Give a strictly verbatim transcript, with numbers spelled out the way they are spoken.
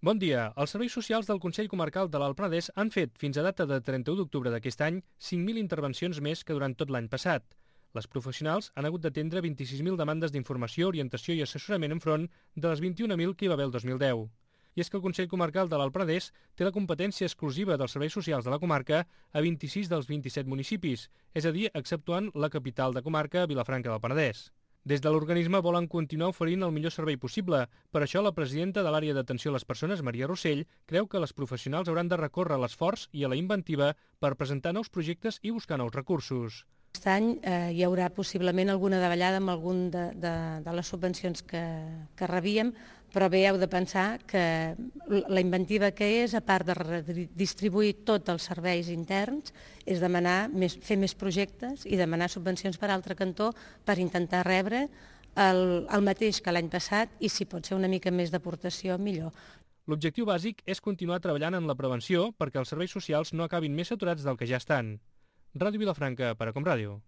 Bon dia. Els serveis socials del Consell Comarcal de l'Alt Penedès han fet, fins a data de trenta-u d'octubre d'aquest any, cinc mil intervencions més que durant tot l'any passat. Les professionals han hagut d'atendre vint-i-sis mil demandes d'informació, orientació i assessorament enfront de les vint-i-un mil que hi va haver el dos mil deu. I és que el Consell Comarcal de l'Alt Penedès té la competència exclusiva dels serveis socials de la comarca a vint-i-sis dels vint-i-set municipis, és a dir, exceptuant la capital de comarca, Vilafranca del Penedès. Des de l'organisme volen continuar oferint el millor servei possible. Per això, la presidenta de l'àrea d'atenció a les persones, Maria Rossell, creu que les professionals hauran de recórrer a l'esforç i a la inventiva per presentar nous projectes i buscar nous recursos. Aquest any eh, hi haurà possiblement alguna davallada amb algun de, de, de les subvencions que, que rebíem, però bé heu de pensar que la inventiva que és, a part de redistribuir tots els serveis interns, és demanar més, fer més projectes i demanar subvencions per altre cantó per intentar rebre el, el mateix que l'any passat i si pot ser una mica més d'aportació, millor. L'objectiu bàsic és continuar treballant en la prevenció perquè els serveis socials no acabin més saturats del que ja estan. Ràdio Vilafranca, per a Com Ràdio.